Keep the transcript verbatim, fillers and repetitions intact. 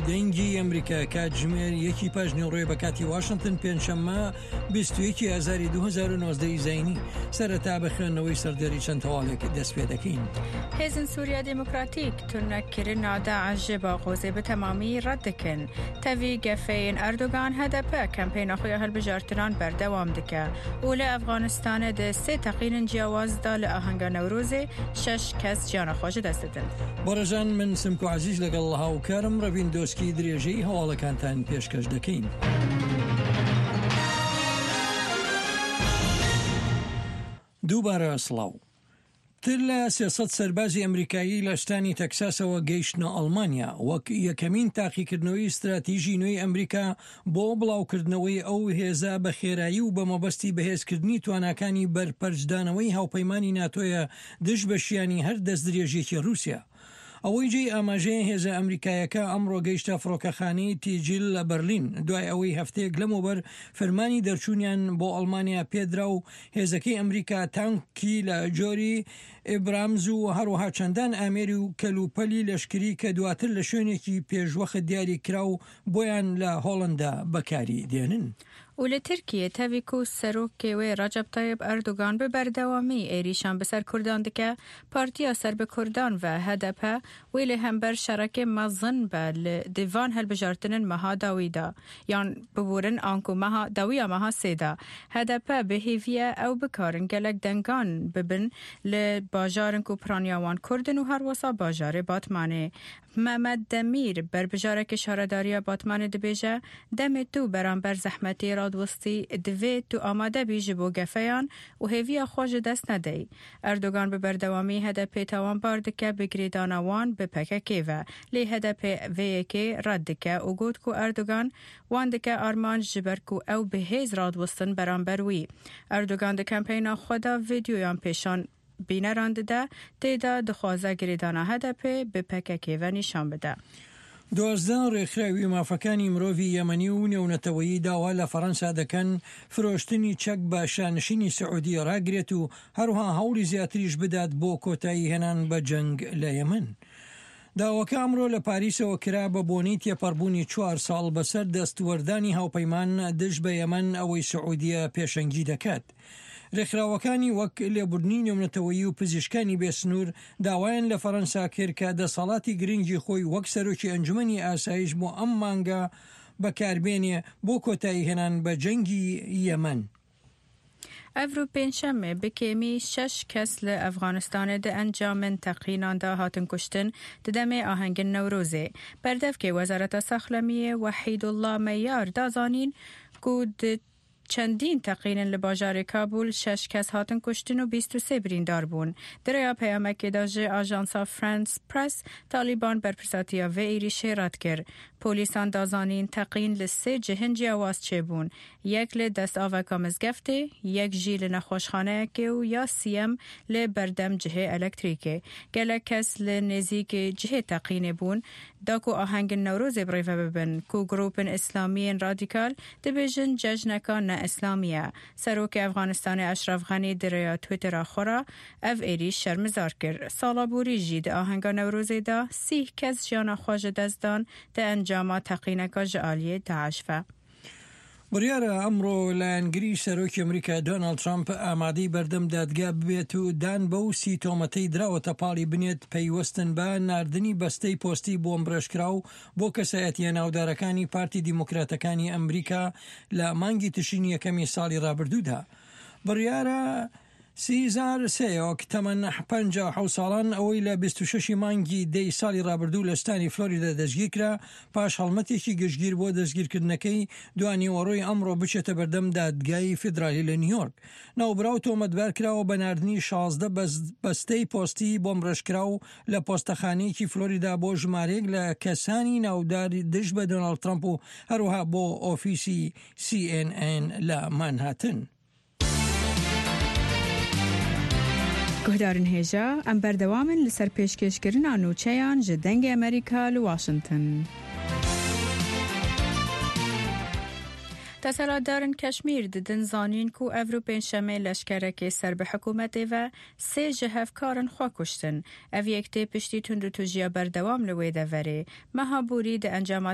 دەنگی ئەمریکا کاتژمێر یەکی پاش نیوەڕۆی بە کاتی واشنتن پێنجشەممە بیست و یەک ئازاری دوو هەزار و نۆزدە ی زایینی. سەرەتا بە خوێندنەوەی سەردێڕی چەند هەواڵێک دەست پێ دەکەین. هێزن سووریا دێموکراتیک تونەکردنا داعش ji Baxozê bi temamî red dikin. Tevî gefeyên Erdogan H D P kempeyna xwe ya hilbijartinan berdewam dike û li Efxanistanê di sê teqînên ciyawaz da li ahenga Newrozê şeş kes jiyana xwe ji dest didin. بەڕێزان من سمکۆ عەزیز لەگەڵ هاوکارم ڕەڤین دۆسکی درێژەی هەواڵەکانتان پێشکەش دەکەین. دووبارە سڵاو. پتر لە سێ سەد سەربازی ئەمریکایی لە ستانی تەکساسەوە گەیشتنە ئەڵمانیا وەک یەکەمین تاقیکردنەوەی ستراتیژی نوێی ئەمریکا بۆ بڵاوکردنەوەی ئەو هێزە بە خێرایی و بە مەبەستی بەهێزکردنی تواناکانی بەرپەرچدانەوەی هاوپەیمانی ناتۆیە دژ بە شیانی هەر دەستدرێژیەکی رووسیا. ئەوەی جێی ئاماژەیە هێزە ئەمریکایەکە ئەمڕۆ گەیشتە فڕۆکەخانەی تیجیل لە بەرلین دوای ئەوەی هەفتەیەک لەمەوبەر فەرمانی دەرچوونیان بۆ ئەڵمانیا پێدرا و هێزەکەی ئەمریکا تانکی لە جۆری ئیبرامز و هەروەها چەندان ئامێری و کەلوپەلی لەشکری کە دواتر لە شوێنێکی پێشوەخت دیاری کرا و بۆیان لە هۆڵندا بەکاری دێنن. و لە تورکیە تەڤی کو سەرۆکê wê Recep Tayyip Erdogan bi berdewamî êrîşan bi ser Kurdan dike, Partiya ser bi Kurdan ve H D P wê li hember şerekê mezin be li di van hilbijartinên meha dawî da yan biborin anku meha dawiya meha sê da. H D P bi hêviye ew bikarin gelek dengan bibin li bajarên ku piraniya wan Kurd in û her wisa bajarê Batmanê. Mehmet Demir berbijarekê şaredariya Batmanê dibêje demê tu beramber zehmetê radwestî divê tu amade bî ji bo gefeyan û hêviya xwe ji dest nedey. Erdogan bi berdewamî H D P tawanbar dike bi girêdana wan bi P K K ve. Lê H D P vê yekê red dike û got ku Erdogan wan dike armanc ji ber ku ew bi hêz radwestin beramber wî. Erdogan di kempeyna xwe de vîdeoyan pêşan bîneran dide tê de dixwaze girêdana H D P bi P K K ve nîşan bide. دوازدە ڕێکخراوی مافەکانی مرۆڤی یەمەنی و نێونەتەوەیی داوا لە فەڕەنسا دەکەن فرۆشتنی چەک بە شانشینی سعودی ڕاگرێت و هەروها هەوڵی زیاتریش بدات بۆ کۆتایی هێنان بە جەنگ لە یەمەن. داواکە ئەمڕۆ لە پاریسەوە کرا بە بۆنەی تێپەڕبوونی چوار ساڵ بەسەر دەستوەردانی هاوپەیمان دژ بە یەمەن ئەوەی سعودیە پێشەنگی دەکات. ڕێکخراوەکانی وەک لێبوردنی نێونەتەوەیی و پزیشکانی بێسنوور داوایان لە فەڕەنسا کرد کە دەسەڵاتی گرنگی خۆی وەک سەرۆکی ئەنجومەنی ئاسایش بۆ ئەم مانگە بەکاربێنێ بۆ کۆتایی هێنان بە جەنگی یەمەن. Evro pêncşemê bi kêmî şeş kes li Efxanistanê di encamên teqînan de hatin kuştin di demê ahengên Newrozê. Berdevkê Wezareta Saxlemiyê Wehîdullah Meyar da zanîn ku di çendîn teqînên li bajarê Kabul şeş kes hatin kuştin û bîst û sê birîndar bûn. Di rêya peyamekê de ji ajansa France Press Taliban berpirsatiya vê êrîşê red kir. Polîsan da zanîn teqîn li sê cihên ciyawaz çêbûn. Yek li destaveka mizgeftê, yek jî li nexweşxaneyekê û ya siyem li berdem cihê elektrîkê. Gelek kes li nêzîkê cihê teqînê bûn da ku ahengên Newrozê birêve bibin ku grûpên îslamiyên radîkal dibêjin cejneka ne îslamî ye. Serokê Efxanistanê Eşref Xenî di rêya Twittera xwe re ev êrîş şermezar kir. Sala borî jî di ahenga Newrozê de sîh kes jiyana xwe ji dest dan di encama teqîneka ji aliyê Daeş ve. بڕیارە ئەمڕۆ لایەنگری سەرۆکی ئەمریکا دۆناڵد ترامپ ئامادەی بەردەم دادگا ببێت و دان بەو سی تۆمەتەی دراوەتە پاڵی بنێت پەیوەستن بە ناردنی بەستەی پۆستی بۆمبڕێژکراو بۆ کەسایەتیە ناودارەکانی پارتی دیموکراتەکانی ئەمریکا لە مانگی تشرینی یەکەمی ساڵی ڕابردوودا. بڕیارە سیزار سیۆک تەمەن پەنجا و حەوت ساڵان ئەوەی لە بیست و شەش مانگی دەی ساڵی ڕابردوو لە ستانی فلۆریدا دەستگیرکرا پاش هەڵمەتێکی گشتگیر بۆ دەستگیرکردنەکەی دوانیوەڕۆی ئەمڕۆ بچێتە بەردەم دادگای فیدرالی لە نیویۆرک. ناوبراو تۆمەتبار کراوە بە ناردنی شازدە بەستەی پۆستی بۆمبڕێژکراو لە پۆستەخانەیەکی فلۆریدا بۆ ژمارەیەک لە کەسانی ناودار دژ بە دۆناڵد ترەمپ و هەروەها بۆ ئۆفیسی سی ئێن ئێن لە مانهاتن. Guhdarên hêja em berdewam in li ser pêşkêşkirina nûçeyan ji Dengê Amerîka li Washington. Desthilatdarên Keşmîr didin zanîn ku evro pêncşemê leşkerekê ser bi hikûmetê ve sê ji hevkarên xwe kuştin. Ev yek tê piştî tundûtûjiya berdewam li wê deverê. Meha borî di encama